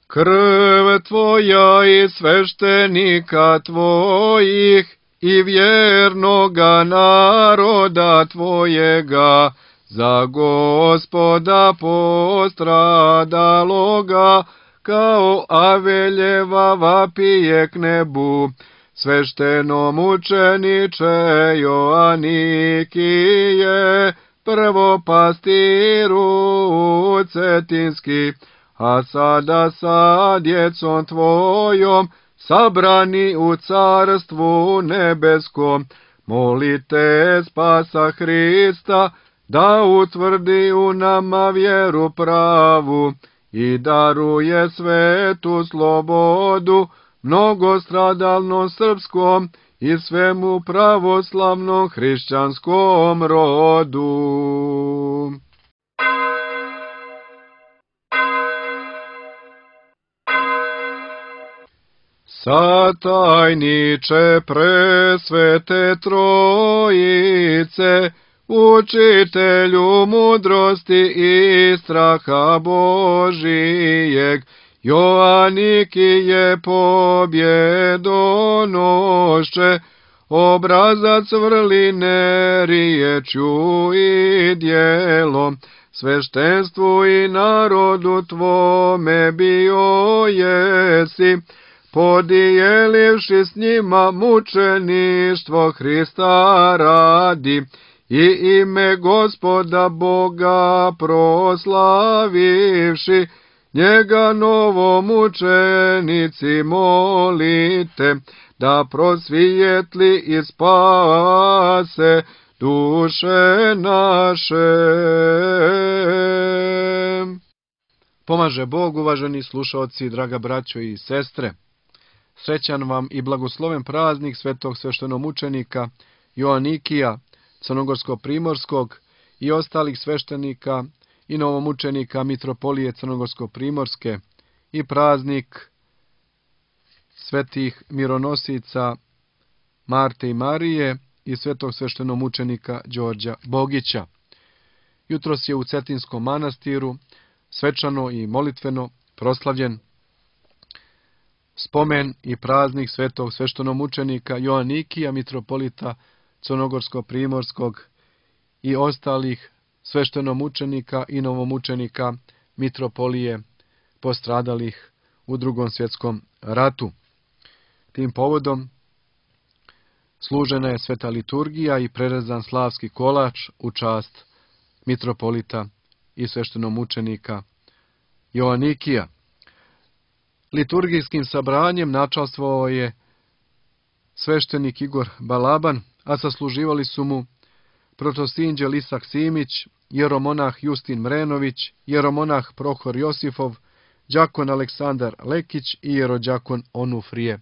Krv tvoja i sveštenika tvojih i vjernoga naroda tvojega, za Gospoda postradaloga, kao Aveljeva vapije k nebu, svešteno mučeniče Joanikije, prvo pastiru cetinski, a sada sa djecom tvojom, sabrani u carstvu nebeskom, molite spasa Hrista, da utvrdi u nama vjeru pravu i daruje svetu slobodu, mnogostradalnom srpskom i svemu pravoslavnom hrišćanskom rodu. Satajniče presvete trojice, učitelju mudrosti i straha Božijeg, Joanikije pobjedonošče, obrazac vrline riječju i djelom, sveštenstvu i narodu tvome bio jesi, podijelivši s njima mučeništvo Hrista radi i ime Gospoda Boga proslavivši, njega novomučenici molite, da prosvijetli i spase duše naše. Pomaže Bog, uvaženi slušaoci, draga braćo i sestre. Srećan vam i blagosloven praznik svetog sveštenomučenika Joanikija, crnogorsko-primorskog i ostalih sveštenika i novomučenika mitropolije crnogorsko-primorske i praznik svetih mironosica Marte i Marije i svetog sveštenomučenika Đorđa Bogića. Jutros je u Cetinskom manastiru svečano i molitveno proslavljen spomen i praznik svetog sveštenomučenika Joanikija, mitropolita crnogorsko-primorskog i ostalih sveštenomučenika i novomučenika mitropolije postradalih u Drugom svjetskom ratu. Tim povodom služena je sveta liturgija i prerezan slavski kolač u čast mitropolita i sveštenomučenika Joanikija. Liturgijskim sabranjem načastvovao je sveštenik Igor Balaban, a sasluživali su mu protosinđel Isak Simić, jeromonah Justin Mrenović, jeromonah Prohor Josifov, đakon Aleksandar Lekić i jerođakon Onufrije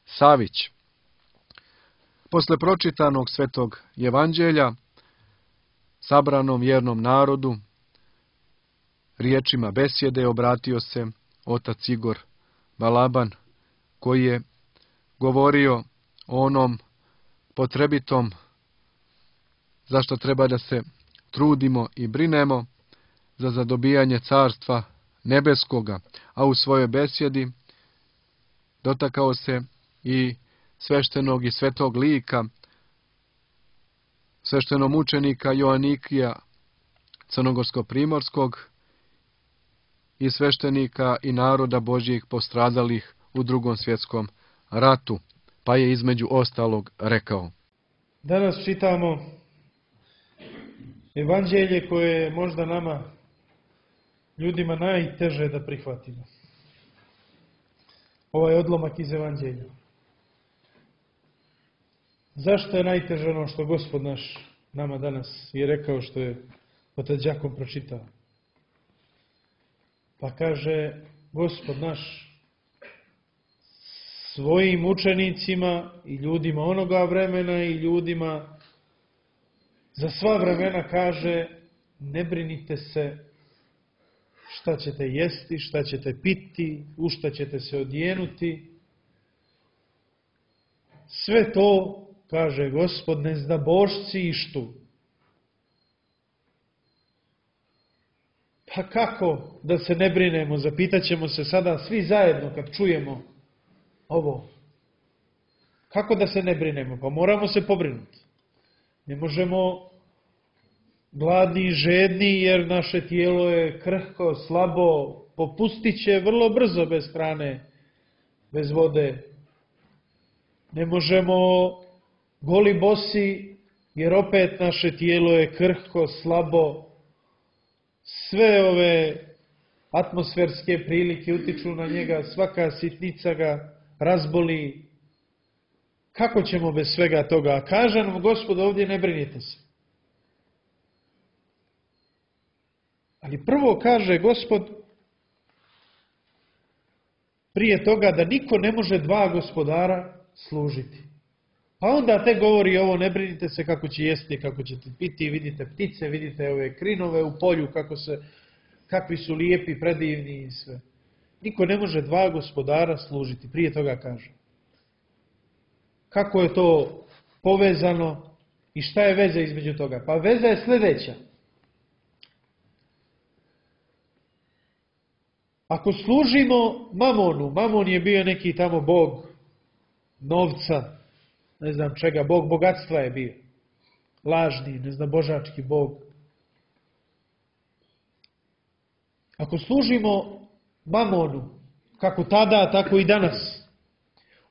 Savić. Posle pročitanog svetog evanđelja, sabranom vjernom narodu, riječima besjede obratio se otac Igor Balaban, koji je govorio o onom potrebitom zašto treba da se trudimo i brinemo za zadobijanje carstva nebeskoga, a u svojoj besjedi dotakao se i sveštenog i svetog lika, sveštenomučenika Joanikija crnogorsko-primorskog i sveštenika i naroda Božjih postradalih u Drugom svjetskom ratu, pa je između ostalog rekao. Danas čitamo evanđelje koje je možda nama, ljudima, najteže da prihvatimo. Ovaj odlomak iz evanđelja. Zašto je najteže ono što Gospod naš nama danas je rekao, što je otac đakon pročitao? Pa kaže Gospod naš svojim učenicima i ljudima onoga vremena i ljudima za sva vremena kaže: ne brinite se šta ćete jesti, šta ćete piti, u šta ćete se odjenuti. Sve to, kaže Gospod, ne zda božci ištu. Pa kako da se ne brinemo, zapitat ćemo se sada svi zajedno kad čujemo ovo. Kako da se ne brinemo? Pa moramo se pobrinuti. Ne možemo gladni i žedni jer naše tijelo je krhko, slabo, popustit će vrlo brzo bez hrane, bez vode. Ne možemo goli bosi jer opet naše tijelo je krhko, slabo. Sve ove atmosferske prilike utiču na njega, svaka sitnica ga razboli. Kako ćemo bez svega toga? A kaže nam Gospod ovdje, ne brinite se. Ali prvo kaže Gospod prije toga da niko ne može dva gospodara služiti. Pa onda te govori ovo, ne brinite se kako će jesti, kako ćete piti, vidite ptice, vidite ove krinove u polju, kakvi su lijepi, predivni i sve. Niko ne može dva gospodara služiti, prije toga kaže. Kako je to povezano i šta je veza između toga? Pa veza je sljedeća. Ako služimo Mamonu, Mamon je bio neki tamo bog novca, ne znam čega, bog bogatstva je bio. Lažni, ne znam, božački bog. Ako služimo Mamonu, kako tada, tako i danas,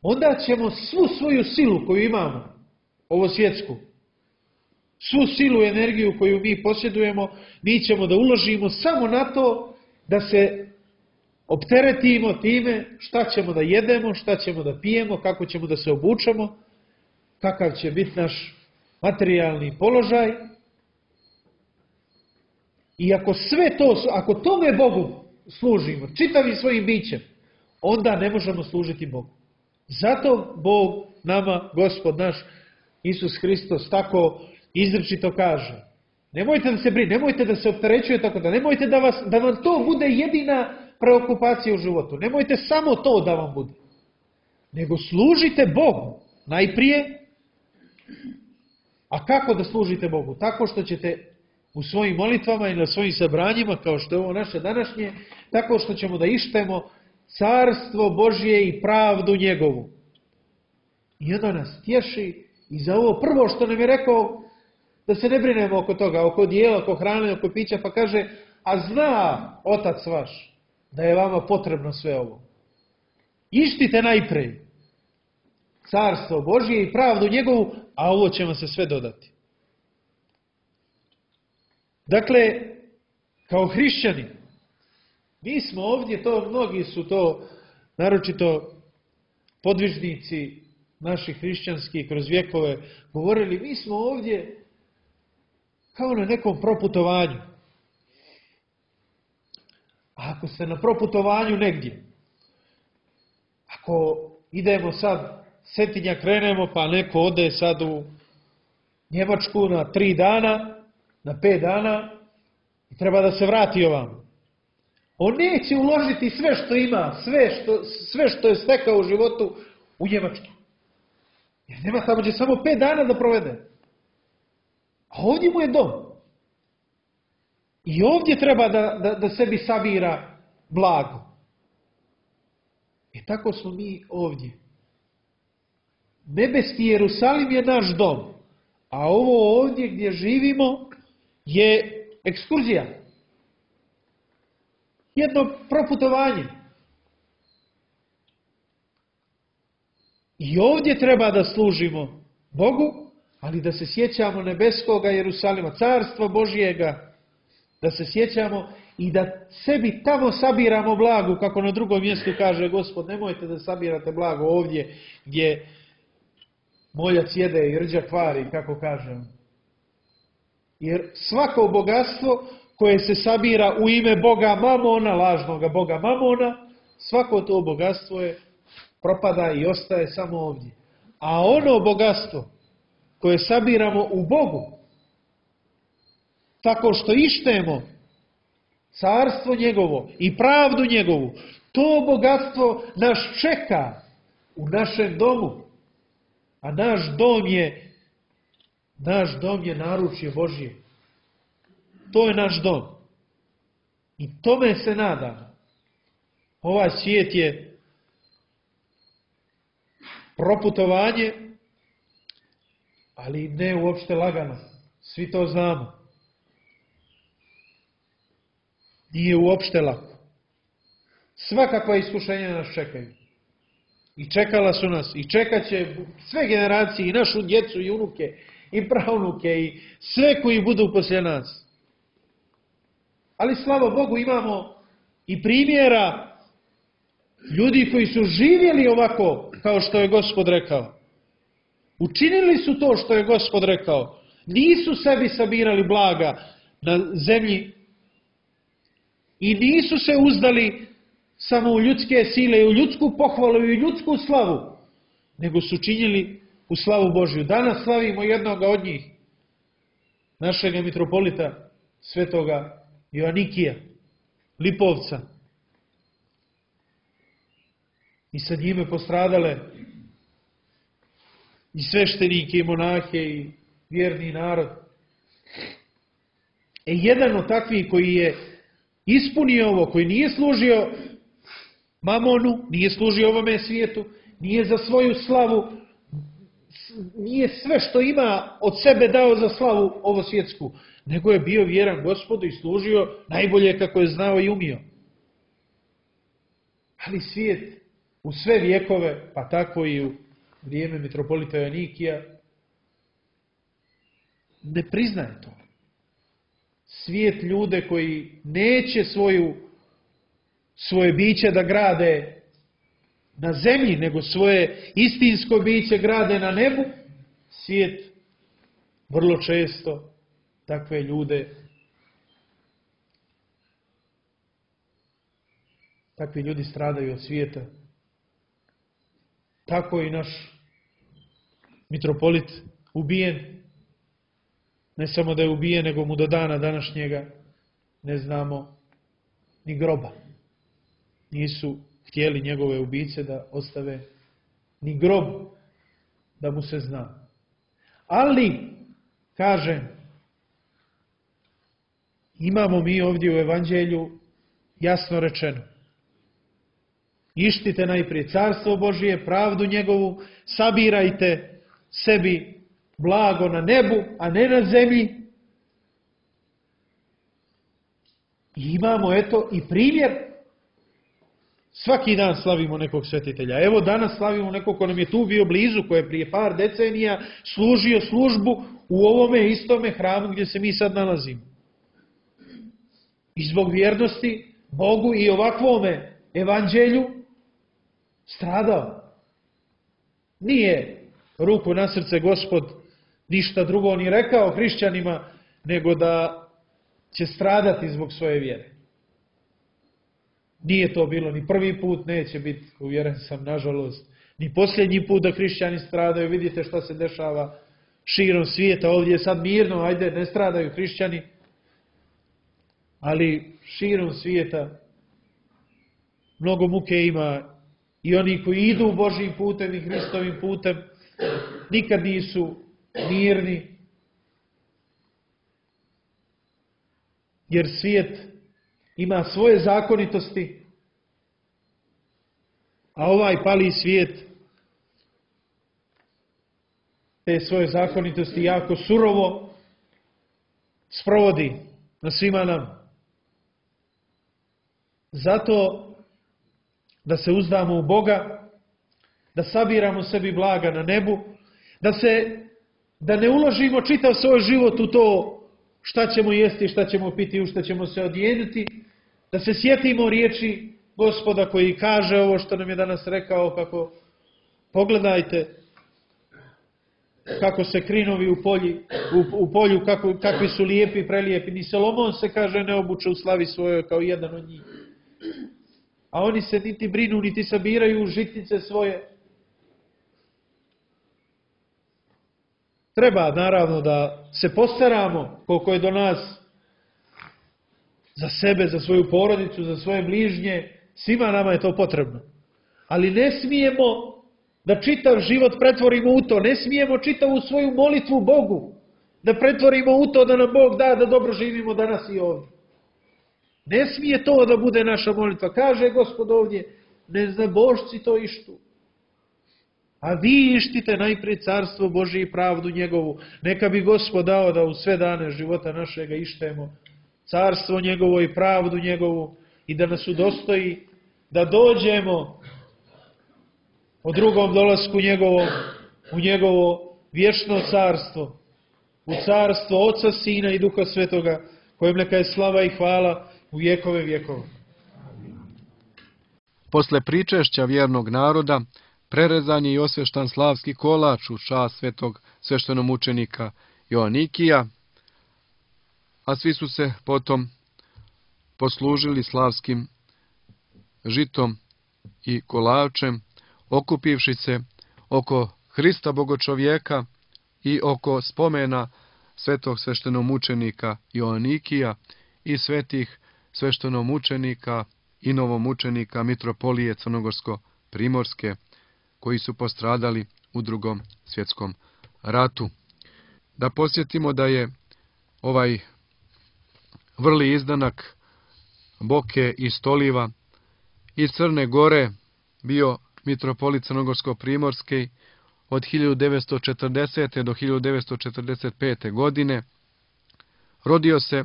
onda ćemo svu svoju silu koju imamo, ovo svjetsku, svu silu i energiju koju mi posjedujemo, mi ćemo da uložimo samo na to da se opteretimo time šta ćemo da jedemo, šta ćemo da pijemo, kako ćemo da se obučemo, kakav će biti naš materijalni položaj. I ako tome Bogu služimo, čitavim svojim bićem, onda ne možemo služiti Bogu. Zato Bog nama, Gospod naš, Isus Hristos, tako izričito kaže. Nemojte da se brinete, nemojte da se opterećujete tako da, nemojte da vam to bude jedina preokupacija u životu. Nemojte samo to da vam bude. Nego služite Bogu najprije. A kako da služite Bogu? Tako što ćete u svojim molitvama i na svojim sabranjima, kao što je ovo naše današnje, tako što ćemo da ištemo carstvo Božje i pravdu njegovu. I onda nas tješi i za ovo prvo što nam je rekao, da se ne brinemo oko toga, oko dijela, oko hrane, oko pića, pa kaže, a zna Otac vaš da je vama potrebno sve ovo. Ištite najprej carstvo Božje i pravdu njegovu, a ovo će vam se sve dodati. Dakle, kao hrišćani, mi smo ovdje, mnogi su to, naročito podvižnici naših hrišćanskih kroz vjekove govorili, mi smo ovdje kao na nekom proputovanju. A ako ste na proputovanju negdje, ako idemo sad, Cetinja krenemo, pa neko ode sad u Njemačku na 3 dana, na 5 dana i treba da se vrati ovamo. On neće uložiti sve što ima, sve što je stekao u životu u Njemačku. Jer nema, tamo će samo 5 dana da provede. A ovdje mu je dom. I ovdje treba da sebi sabira blago. I tako smo mi ovdje. Nebeski Jerusalim je naš dom. A ovo ovdje gdje živimo je ekskurzija. Jedno proputovanje. I ovdje treba da služimo Bogu, ali da se sjećamo nebeskoga Jerusalima, carstva Božjega, da se sjećamo i da sebi tamo sabiramo blagu, kako na drugom mjestu kaže Gospod, nemojte da sabirate blago ovdje gdje moljac jede i rđa kvari, kako kažem. Jer svako bogatstvo koje se sabira u ime Boga Mamona, lažnoga Boga Mamona, svako to bogatstvo propada i ostaje samo ovdje. A ono bogatstvo koje sabiramo u Bogu, tako što ištemo carstvo njegovo i pravdu njegovu, to bogatstvo nas čeka u našem domu. A naš dom je naručje Božje. To je naš dom. I tome se nadam. Ovaj svijet je proputovanje, ali ne uopšte lagano. Svi to znamo. Nije uopšte lako. Svakakva iskušenja nas čekaju. I čekala su nas, i čekat će sve generacije, i našu djecu, i unuke, i pravnuke, i sve koji budu poslije nas. Ali slava Bogu imamo i primjera ljudi koji su živjeli ovako kao što je Gospod rekao. Učinili su to što je Gospod rekao. Nisu sebi sabirali blaga na zemlji i nisu se uzdali samo u ljudske sile i u ljudsku pohvalu i u ljudsku slavu, nego su činili u slavu Božju. Danas slavimo jednoga od njih, našega mitropolita, svetoga Joanikija, Lipovca. I sa njime postradale i sveštenike, i monahe, i vjerni narod. Jedan od takvih koji je ispunio ovo, koji nije služio mamonu, nije služio ovome svijetu, nije za svoju slavu, nije sve što ima od sebe dao za slavu ovo svjetsku, nego je bio vjeran Gospodu i služio najbolje kako je znao i umio. Ali svijet u sve vjekove, pa tako i u vrijeme mitropolita Joanikija, ne priznaje to. Svijet ljude koji neće svoje biće da grade na zemlji, nego svoje istinsko biće grade na nebu, svijet vrlo često takve ljude, takvi ljudi stradaju od svijeta. Tako i naš mitropolit ubijen. Ne samo da je ubijen, nego mu do dana današnjega ne znamo ni groba. Nisu htjeli njegove ubice da ostave ni grob da mu se zna. Ali, kažem, imamo mi ovdje u Evanđelju jasno rečeno. Ištite najprije carstvo Božije, pravdu njegovu, sabirajte sebi blago na nebu, a ne na zemlji. I imamo eto i primjer. Svaki dan slavimo nekog svetitelja. Evo danas slavimo nekog ko nam je tu bio blizu, ko je prije par decenija služio službu u ovome istome hramu gdje se mi sad nalazimo. I zbog vjernosti Bogu i ovakvome evanđelju stradao. Nije ruku na srce Gospod ništa drugo ni rekao hrišćanima, nego da će stradati zbog svoje vjere. Nije to bilo ni prvi put, neće biti, uvjeren sam, nažalost, ni posljednji put da hrišćani stradaju. Vidite šta se dešava širom svijeta. Ovdje je sad mirno, ajde, ne stradaju hrišćani, ali širom svijeta mnogo muke ima i oni koji idu Božjim putem i Hristovim putem nikad nisu mirni, jer svijet ima svoje zakonitosti, a ovaj pali svijet te svoje zakonitosti jako surovo sprovodi na svima nam. Zato da se uzdamo u Boga, da sabiramo sebi blaga na nebu, da ne uložimo čitav svoj život u to šta ćemo jesti, šta ćemo piti, u šta ćemo se odjenuti, da se sjetimo riječi Gospoda koji kaže ovo što nam je danas rekao, kako pogledajte kako se krinovi u polju, kakvi su lijepi, prelijepi. Ni Solomon se, kaže, ne obuče u slavi svojoj kao jedan od njih. A oni se niti brinu, niti sabiraju žitnice svoje. Treba, naravno, da se postaramo koliko je do nas za sebe, za svoju porodicu, za svoje bližnje. Svima nama je to potrebno. Ali ne smijemo da čitav život pretvorimo u to. Ne smijemo čitavu svoju molitvu Bogu da pretvorimo u to da nam Bog da dobro živimo danas i ovdje. Ne smije to da bude naša molitva. Kaže Gospod ovdje, neznabošci to ištu. A vi ištite najprije carstvo Božje i pravdu njegovu. Neka bi Gospod dao da u sve dane života našega ištemo carstvo njegovo i pravdu njegovu i da nas udostoji da dođemo o drugom dolasku njegovom u njegovo vječno carstvo, u carstvo Oca, Sina i Duha Svetoga, kojem neka je slava i hvala u vjekove vjekova. Posle pričešća vjernog naroda, prerezan je i osveštan slavski kolač u čast svetog sveštenomučenika Joanikija, a svi su se potom poslužili slavskim žitom i kolačem, okupivši se oko Hrista Bogočovjeka i oko spomena svetog sveštenomučenika Joanikija i svetih sveštenomučenika i novomučenika Mitropolije Crnogorsko-Primorske, koji su postradali u Drugom svjetskom ratu. Da posjetimo da je ovaj vrli izdanak Boke i Stoliva iz Crne Gore bio mitropolit Crnogorsko-Primorski od 1940. do 1945. godine. Rodio se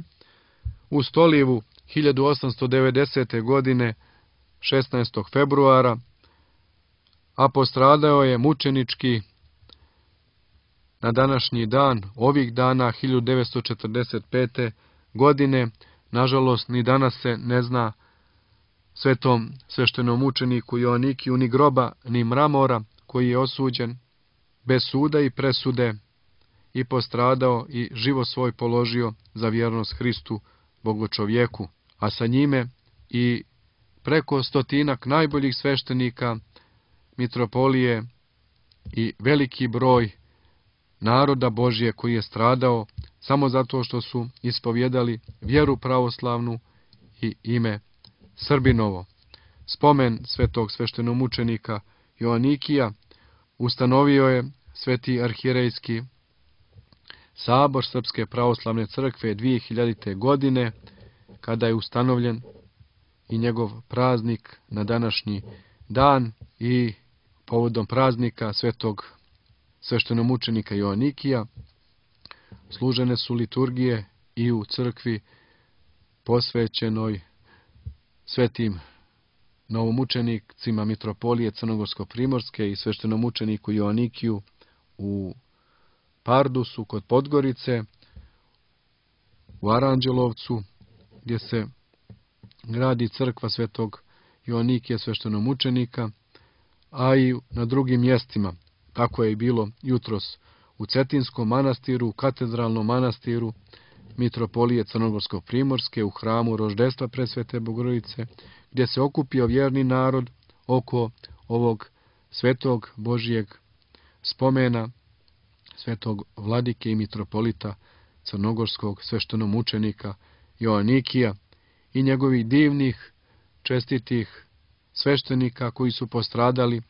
u Stolivu 1890. godine 16. februara, a postradao je mučenički na današnji dan, ovih dana 1945. godine. Nažalost, ni danas se ne zna svetom sveštenomučeniku Joanikiju ni groba, ni mramora, koji je osuđen bez suda i presude i postradao i život svoj položio za vjernost Hristu Bogočovjeku, a sa njime i preko 100 najboljih sveštenika mitropolije i veliki broj naroda Božje koji je stradao samo zato što su ispovjedali vjeru pravoslavnu i ime Srbinovo. Spomen svetog sveštenomučenika Joanikija ustanovio je Sveti arhierejski sabor Srpske pravoslavne crkve 2000. godine, kada je ustanovljen i njegov praznik na današnji dan i povodom praznika svetog sveštenomučenika Joanikija služene su liturgije i u crkvi posvećenoj svetim novomučenicima Mitropolije Crnogorsko-Primorske i sveštenomučeniku Joanikiju u Pardusu kod Podgorice, u Aranđelovcu, gdje se gradi crkva svetog Joanikija sveštenomučenika, a i na drugim mjestima. Tako je i bilo jutros u Cetinskom manastiru, u katedralnom manastiru Mitropolije Crnogorsko-Primorske, u hramu Roždestva Presvete Bogorodice, gdje se okupio vjerni narod oko ovog svetog Božijeg spomena svetog vladike i mitropolita crnogorskog sveštenomučenika Joanikija i njegovih divnih, čestitih sveštenika koji su postradali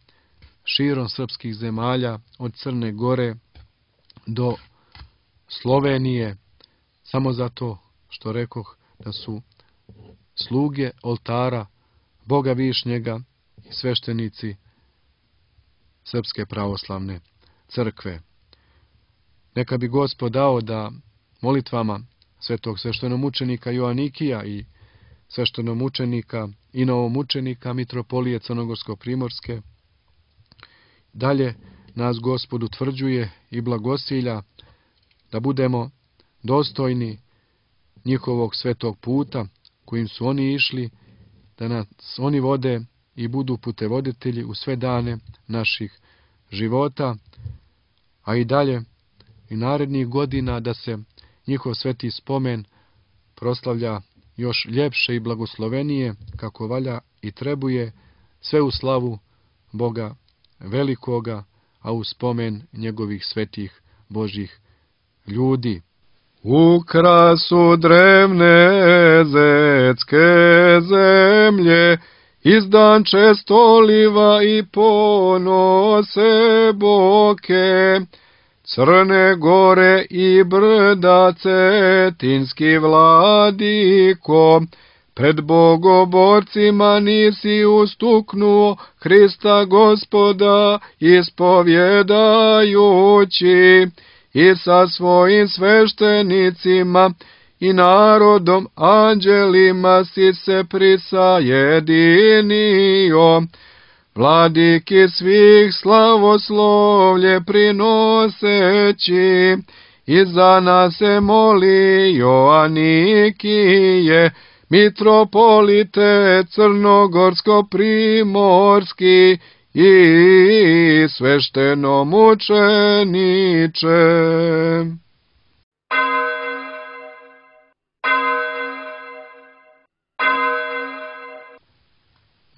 širom srpskih zemalja od Crne Gore do Slovenije, samo zato što rekoh da su sluge oltara Boga Višnjega i sveštenici Srpske pravoslavne crkve. Neka bi Gospod dao da molitvama svetog sveštenomučenika Joanikija i sveštenomučenika i novomučenika Mitropolije Crnogorsko-Primorske dalje nas Gospod utvrđuje i blagosilja da budemo dostojni njihovog svetog puta kojim su oni išli, da nas oni vode i budu putevoditelji u sve dane naših života, a i dalje i narednih godina da se njihov sveti spomen proslavlja još ljepše i blagoslovenije, kako valja i trebuje, sve u slavu Boga velikoga, a u spomen njegovih svetih Božjih ljudi. U krasu drevne zetske zemlje izdanče Stoliva i ponose Boke, Crne Gore i brda Cetinski vladiko, Pred bogoborcima nisi ustuknuo Hrista Gospoda ispovjedajući, i sa svojim sveštenicima i narodom anđelima si se prisajedinio. Vladiki svih slavoslovlje prinoseći, i za nas se moli Joanikije, mitropolite crnogorsko-primorski i sveštenomučeniče.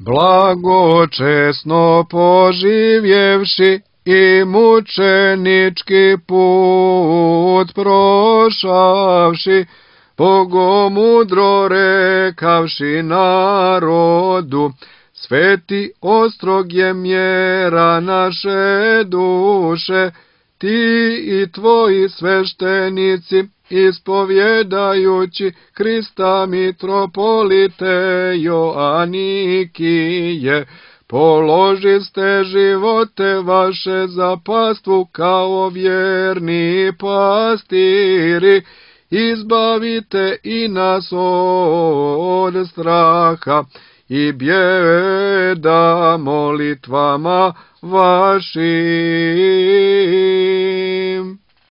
Blagočesno poživjevši i mučenički put prošavši, bogomudro rekavši narodu, sveti ostrog je mjera naše duše, ti i tvoji sveštenici, ispovjedajući Krista mitropolite Joanikije, položiste živote vaše za pastvu kao vjerni pastiri, izbavite i nas od straha i bijeda molitvama vašim.